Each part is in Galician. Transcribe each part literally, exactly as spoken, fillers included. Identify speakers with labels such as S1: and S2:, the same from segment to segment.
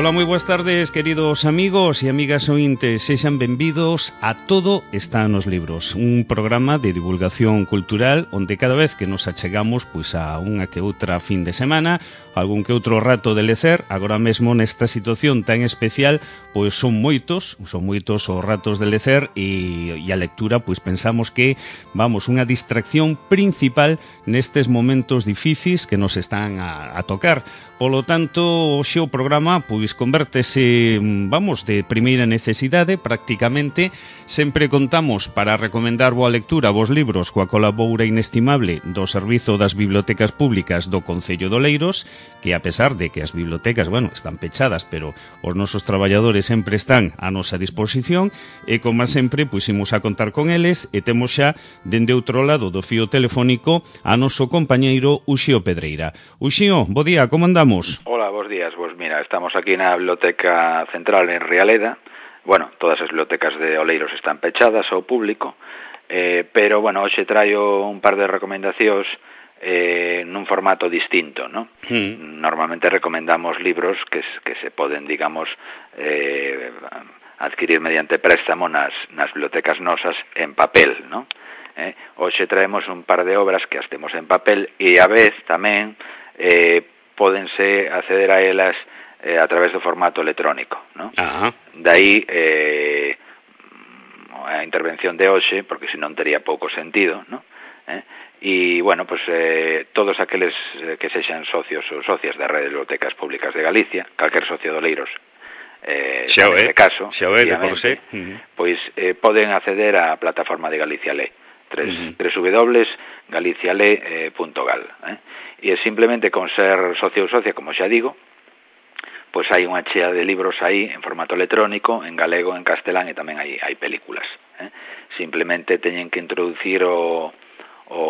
S1: Ola, moi boas tardes, queridos amigos e amigas ointes. Sexan benvidos a Todo está nos libros, un programa de divulgación cultural onde cada vez que nos achegamos pois a unha que outra fin de semana, algún que outro rato de lecer. Agora mesmo nesta situación tan especial, pois son moitos, son moitos os ratos de lecer e, e a lectura, pois pensamos que, vamos, unha distracción principal nestes momentos difíciles que nos están a, a tocar. Polo tanto, hoxe o programa pois convértese, vamos, de primeira necesidade prácticamente. Sempre contamos para recomendar boa lectura vos libros coa colabora inestimable do Servizo das Bibliotecas Públicas do Concello de Oleiros, que a pesar de que as bibliotecas, bueno, están pechadas, pero os nosos traballadores sempre están a nosa disposición e, como sempre, pois imos a contar con eles e temos xa, dende outro lado do fío telefónico, a noso compañeiro Uxío Pedreira. Uxío, bo día, como andamos?
S2: Hola, bos días. Pues mira, estamos aquí na Biblioteca Central en Rialeda. Bueno, todas as bibliotecas de Oleiros están pechadas ao público, eh, pero, bueno, hoxe traio un par de recomendacións eh, nun formato distinto, ¿no? Mm. Normalmente recomendamos libros que, que se poden, digamos, eh, adquirir mediante préstamo nas, nas bibliotecas nosas en papel, ¿no? Eh, hoxe traemos un par de obras que as temos en papel e a vez tamén eh, pódense acceder a elas eh, a través do formato electrónico, ¿no?
S1: Ajá.
S2: Dai eh, a intervención de hoxe, porque senón tería pouco sentido, ¿no? Eh? E, bueno, pues eh, todos aqueles que sexan socios ou socias da Rede de Bibliotecas Públicas de Galicia, calquer socio de Oleiros, eh,
S1: xa
S2: neste
S1: é,
S2: caso,
S1: xa é, de por sí.
S2: Uh-huh. Pois eh, poden acceder á plataforma de Galicia Lé,
S1: Uh-huh.
S2: w w w punto galiciale punto gal, eh? E simplemente con ser socio ou socia, como xa digo, pois hai unha chea de libros aí en formato electrónico, en galego, en castelán e tamén hai, hai películas, eh? Simplemente teñen que introducir o, o,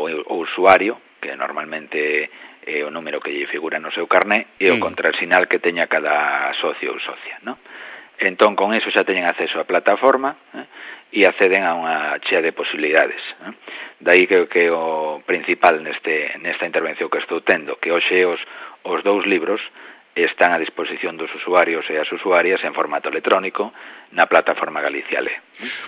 S2: o usuario, que normalmente é o número que lle figura no seu carné, e o mm. contrasinal que teña cada socio ou socia, ¿no? Entón, con eso xa teñen acceso á plataforma, eh? E acceden a unha chea de posibilidades, eh? Daí que, que o principal neste nesta intervención que estou tendo, que hoxe os, os dous libros están a disposición dos usuarios e as usuarias en formato electrónico na plataforma Galicia Lé.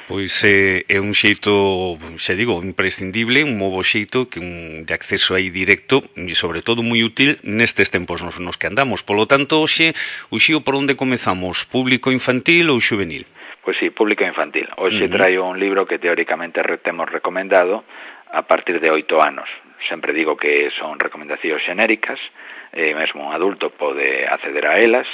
S1: Pois é, é un xeito, xa digo, imprescindible, un novo xeito que un, de acceso aí directo e, sobre todo, moi útil nestes tempos nos, nos que andamos. Polo tanto, hoxe, Uxío, por onde comezamos? Público infantil ou xuvenil?
S2: Pois sí, público infantil. Hoxe uh-huh. traio un libro que teóricamente temos recomendado a partir de oito anos. Sempre digo que son recomendacións xenéricas, e mesmo un adulto pode acceder a elas,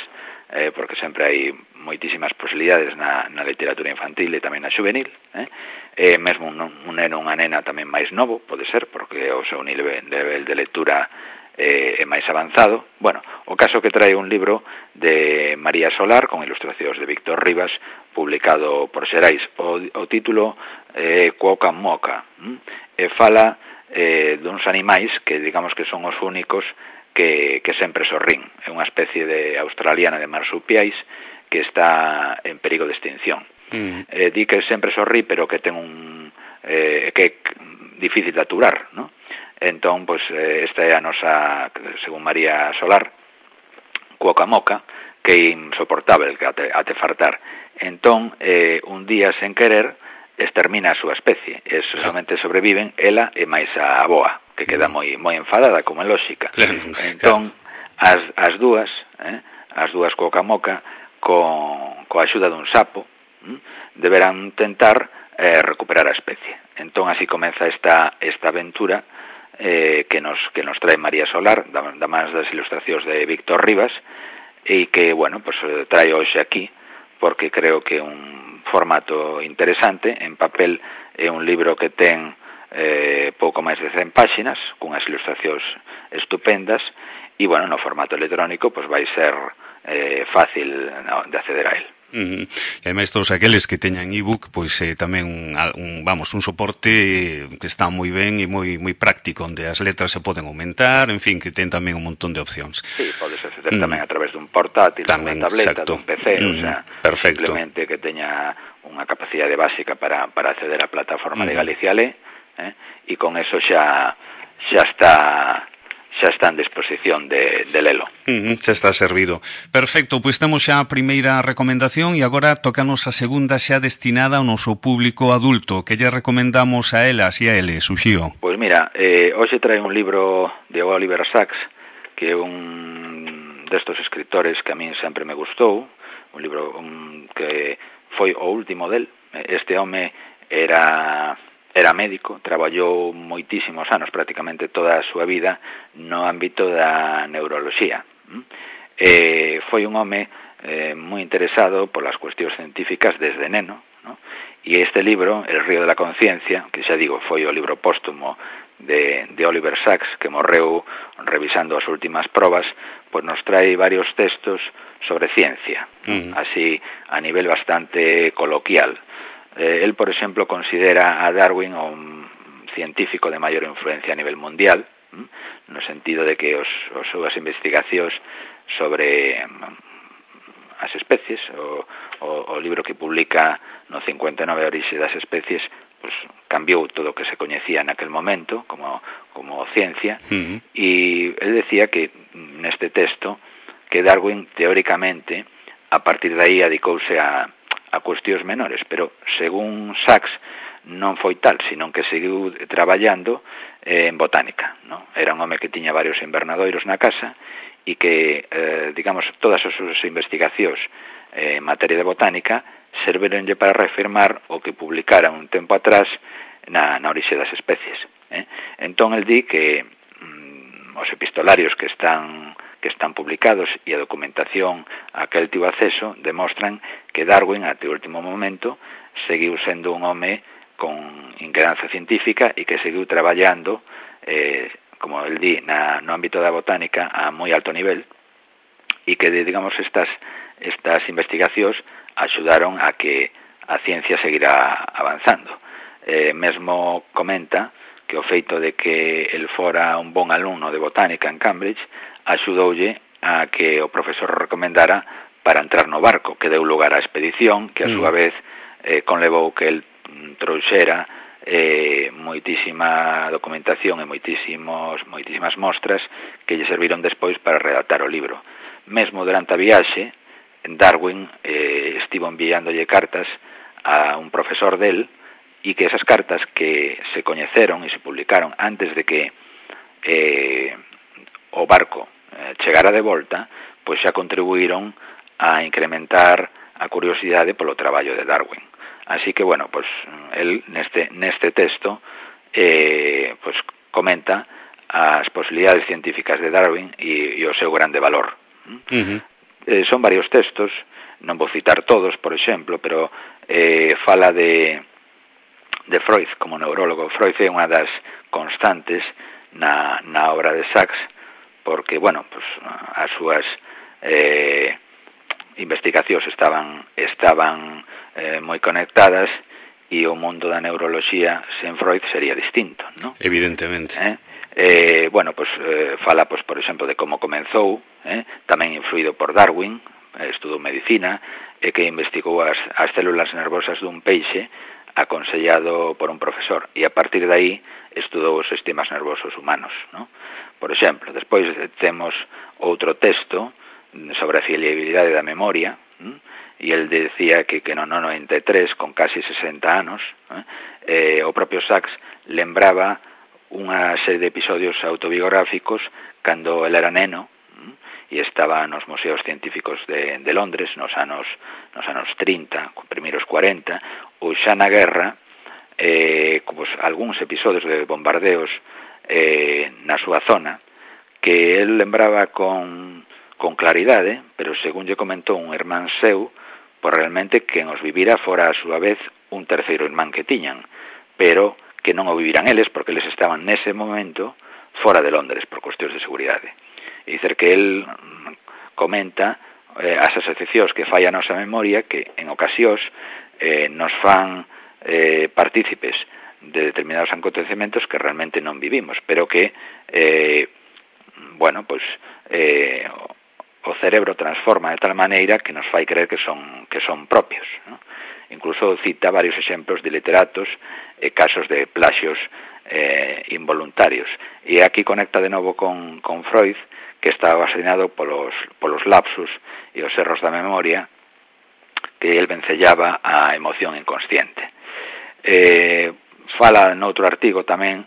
S2: eh, porque sempre hai moitísimas posibilidades na, na literatura infantil e tamén na xuvenil, eh? E mesmo un, un neno ou unha nena tamén máis novo, pode ser, porque o seu nivel, nivel de lectura eh, é máis avanzado. Bueno, o caso que trae un libro de María Solar, con ilustracións de Víctor Rivas, publicado por Xerais. O, o título é eh, Cuoca Moca, hm? e fala eh, duns animais que digamos que son os únicos que, que sempre sorrín. É unha especie de australiana de marsupiais que está en perigo de extinción. Mm. Eh, di que sempre sorrí, pero que ten un eh, que é difícil de aturar, ¿no? Entón, pois, eh, esta é a nosa, según María Solar, Cuoca Moca, que é insoportável, que ate, ate fartar. Entón, eh, un día, sen querer, extermina a súa especie, e solamente sobreviven ela e máis a aboa, que queda moi moi enfadada, como é lógica. Claro, entón, claro. as, as dúas, eh, as dúas Cuoca Moca, con, coa axuda dun sapo, hm, deberán tentar eh, recuperar a especie. Entón, así comeza esta, esta aventura eh, que, nos, que nos trae María Solar, da, da mans das ilustracións de Víctor Rivas, e que, bueno, pues trae hoxe aquí, porque creo que é un formato interesante. En papel é un libro que ten eh, pouco máis de cen páxinas, cunhas ilustracións estupendas, e, bueno, no formato electrónico, pues vai ser eh, fácil no, de acceder a él.
S1: Uh-huh. E ademais todos aqueles que teñan ebook, pois eh, tamén un, un, vamos, un soporte que está moi ben e moi moi práctico, onde as letras se poden aumentar, en fin, que ten tamén un montón de opcións.
S2: Sí, podes acceder uh-huh. tamén a través dun portátil, tamén, dunha tableta, exacto. dun P C, uh-huh. o sea, perfecto. Simplemente que teña unha capacidade básica para, para acceder á plataforma uh-huh. de Galicia Lé, eh? E con eso xa xa está xa está en disposición de, de lelo.
S1: Uh -huh, xa está servido. Perfecto, pois temos xa a primeira recomendación e agora tócanos a segunda xa destinada ao noso público adulto. Que lle recomendamos a elas e a eles, Uxío?
S2: Pois mira, eh, hoxe trae un libro de Oliver Sacks, que é un destos escritores que a min sempre me gustou, un libro un, que foi o último del. Este home era era médico, traballou moitísimos anos, prácticamente toda a súa vida, no ámbito da neuroloxía. Eh, foi un home eh, moi interesado polas cuestións científicas desde neno, ¿no? E este libro, El río de la conciencia, que xa digo, foi o libro póstumo de, de Oliver Sacks, que morreu revisando as últimas probas, pois nos trae varios textos sobre ciencia, uh-huh. así a nivel bastante coloquial. Eh, él, por exemplo, considera a Darwin un científico de maior influencia a nivel mundial, ¿m? no sentido de que os, os súas investigacións sobre as especies, o, o, o libro que publica no cincuenta e nove Orixe das especies, pues, cambiou todo o que se coñecía naquel momento como, como ciencia, uh-huh. e él decía que neste texto que Darwin, teóricamente, a partir de aí adicouse a a cuestións menores, pero según Sacks non foi tal, senón que seguiu traballando eh, en botánica, ¿no? Era un home que tiña varios invernadoiros na casa e que, eh, digamos, todas as súas investigacións eh, en materia de botánica servironlle para reafirmar o que publicara un tempo atrás na, na Orixe das especies. Eh? Entón, el di que mm, os epistolarios que están que están publicados e a documentación a que el tivo acceso demostran que Darwin, até o último momento, seguiu sendo un home con inquedanza científica e que seguiu traballando, eh, como el di, na, no ámbito da botánica a moi alto nivel e que, digamos, estas, estas investigacións axudaron a que a ciencia seguirá avanzando. Eh, mesmo comenta que o feito de que el fora un bon alumno de botánica en Cambridge axudoulle a que o profesor recomendara para entrar no barco, que deu lugar á expedición, que a súa vez eh, conlevou que el trouxera eh, moitísima documentación e moitísimos, moitísimas mostras que lle serviron despois para redactar o libro. Mesmo durante a viaxe, Darwin eh, estivo enviándolle cartas a un profesor del e que esas cartas que se coñeceron e se publicaron antes de que eh, o barco eh, chegara de volta, pois xa contribuíron a incrementar a curiosidade polo traballo de Darwin. Así que, bueno, pois el neste neste texto eh, pois comenta as posibilidades científicas de Darwin e, e o seu grande valor. Uh-huh. Eh, son varios textos, non vou citar todos, por exemplo, pero eh, fala de de Freud como neurólogo. Freud é unha das constantes na, na obra de Sacks, porque, bueno, pues, as súas eh, investigacións estaban estaban eh, moi conectadas e o mundo da neuroloxía sen Freud sería distinto, ¿no?
S1: Evidentemente.
S2: Eh? Eh, bueno, pues eh, fala, pues, por exemplo, de como comenzou, eh? tamén influído por Darwin, eh, estudou medicina, e que investigou as, as células nervosas dun peixe aconsellado por un profesor, e a partir de aí estudou os sistemas nervosos humanos, ¿no? Por exemplo, despois temos outro texto sobre a fiabilidade da memoria, ¿m? E el decía que, que no no noventa e tres, con casi sesenta anos, ¿eh? Eh, o propio Sacks lembraba unha serie de episodios autobiográficos cando el era neno, ¿m? E estaba nos museos científicos de, de Londres nos anos nos anos trinta, primeiros cuarenta, ou xa na guerra, eh, pues, algúns episodios de bombardeos eh, na súa zona, que el lembraba con, con claridade, pero según lle comentou un irmán seu, pois realmente quen os vivira fora a súa vez un terceiro irmán que tiñan, pero que non o viviran eles, porque eles estaban nese momento fora de Londres por cuestións de seguridade. E dicer que el comenta eh, as asociacións que fai a nosa memoria, que en ocasións eh, nos fan eh, partícipes de determinados acontecementos que realmente non vivimos, pero que, eh, bueno, pois, eh, o cerebro transforma de tal maneira que nos fai creer que son que son propios, ¿no? Incluso cita varios exemplos de literatos e eh, casos de plaxios eh, involuntarios. E aquí conecta de novo con, con Freud, que estaba fascinado polos, polos lapsus e os erros da memoria, que el vencellaba a emoción inconsciente. Eh, fala noutro artigo tamén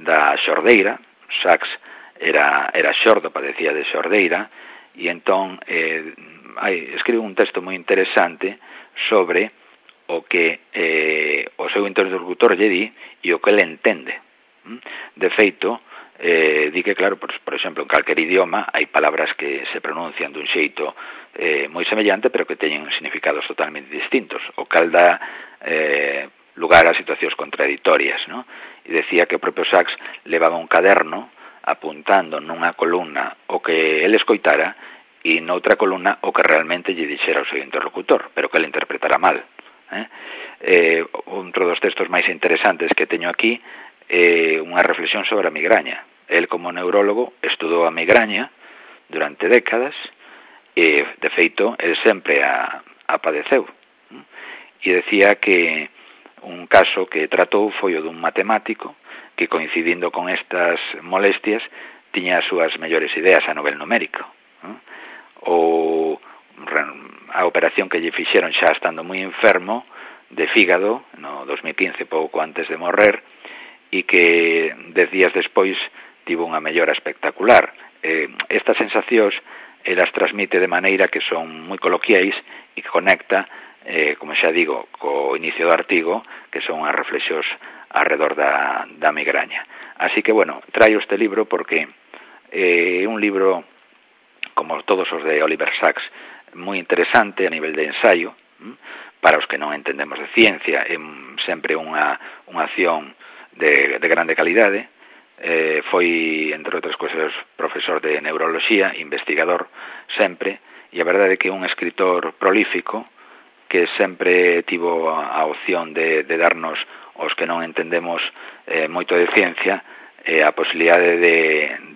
S2: da xordeira. Sachs era, era xordo, padecía de xordeira, e entón eh, hai, escribe un texto moi interesante sobre o que eh, o seu interlocutor lle di e o que ele entende. De feito, eh, di que, claro, por, por exemplo, en calquer idioma hai palabras que se pronuncian dun xeito eh, moi semellante, pero que teñen significados totalmente distintos, o cal dá eh, lugar a situacións contradictorias, ¿no? E decía que o propio Sachs levaba un caderno apuntando nunha columna o que ele escoitara e noutra columna o que realmente lle dixera o seu interlocutor, pero que ele interpretara mal. Eh? Eh, outro dos textos máis interesantes que teño aquí é eh, unha reflexión sobre a migraña. El, como neurólogo, estudou a migraña durante décadas e, de feito, el sempre a, a padeceu. E decía que un caso que tratou foi o dun matemático que, coincidindo con estas molestias, tiña as súas mellores ideas a nivel numérico. Ou a operación que lle fixeron xa estando moi enfermo de fígado no dos mil quince, pouco antes de morrer, e que dez días despois tivo unha mellora espectacular. Eh, estas sensacións elas transmite de maneira que son moi coloquiais e que conecta, eh, como xa digo, co inicio do artigo, que son as reflexións alrededor da, da migraña. Así que, bueno, traio este libro porque é eh, un libro, como todos os de Oliver Sacks, moi interesante a nivel de ensaio, para os que non entendemos de ciencia, é sempre unha, unha acción de, de grande calidade. Eh, foi, entre outras cousas, profesor de neuroloxía, investigador sempre, e a verdade é que é un escritor prolífico que sempre tivo a opción de, de darnos, os que non entendemos eh, moito de ciencia, eh, a posibilidade de,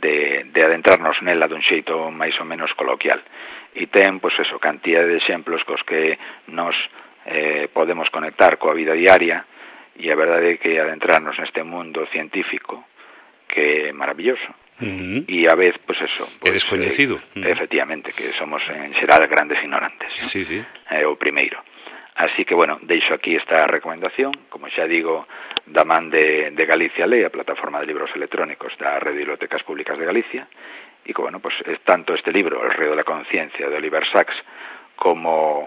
S2: de, de adentrarnos nela dun xeito máis ou menos coloquial. E ten, pois eso, cantidad de exemplos cos que nos eh, podemos conectar coa vida diaria, e a verdade é que adentrarnos neste mundo científico que é maravilloso.
S1: Uh-huh.
S2: E a vez, pois eso,
S1: é pues, descoñecido.
S2: Eh, uh-huh. Efectivamente, que somos en xeral grandes ignorantes, ¿no?
S1: Sí, sí.
S2: É eh, o primeiro. Así que, bueno, deixo aquí esta recomendación, como xa digo, da man de, de Galicia Lei, a plataforma de libros electrónicos da Rede de Bibliotecas Públicas de Galicia, e que, bueno, pues es tanto este libro, El río de la conciencia, de Oliver Sacks, como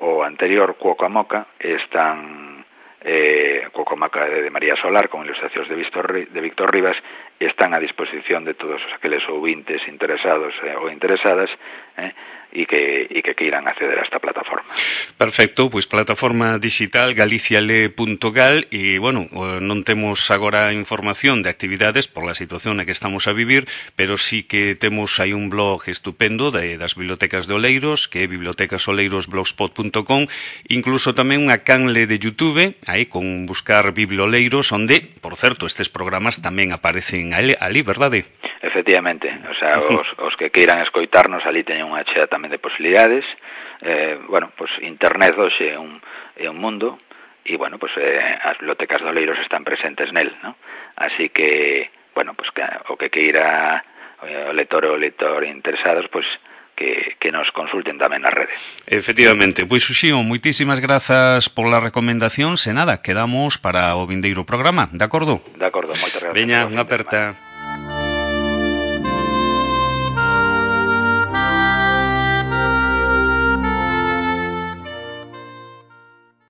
S2: o anterior, Cuoco a Moca, están eh, Cuoco a Moca de, de María Solar, con ilustracións de Víctor, de Víctor Rivas, están a disposición de todos aqueles ouvintes interesados eh, ou interesadas, eh, e que, e que queiran acceder a esta plataforma.
S1: Perfecto, pois plataforma digital galiciale punto gal, e, bueno, non temos agora información de actividades por la situación na que estamos a vivir, pero sí que temos aí un blog estupendo de, das bibliotecas de Oleiros, que é bibliotecas oleiros blogspot punto com, incluso tamén unha canle de YouTube, aí con buscar Biblioleiros, onde, por certo, estes programas tamén aparecen ali, ali, verdade?
S2: Efectivamente, o sea, os, os que queiran escoitarnos ali teñen unha chea tamén de posibilidades. Eh, bueno, pues internet hoxe é un, é un mundo e, bueno, pues eh, as bibliotecas de Oleiros están presentes nel, ¿no? Así que, bueno, pues que, o que queira o lector ou lector interesados, pues que, que nos consulten tamén na rede.
S1: Efectivamente, pois Uxío, moitísimas grazas pola recomendación, se nada, quedamos para o vindeiro programa, de acordo?
S2: De acordo, moitas grazas.
S1: Veña, unha aperta.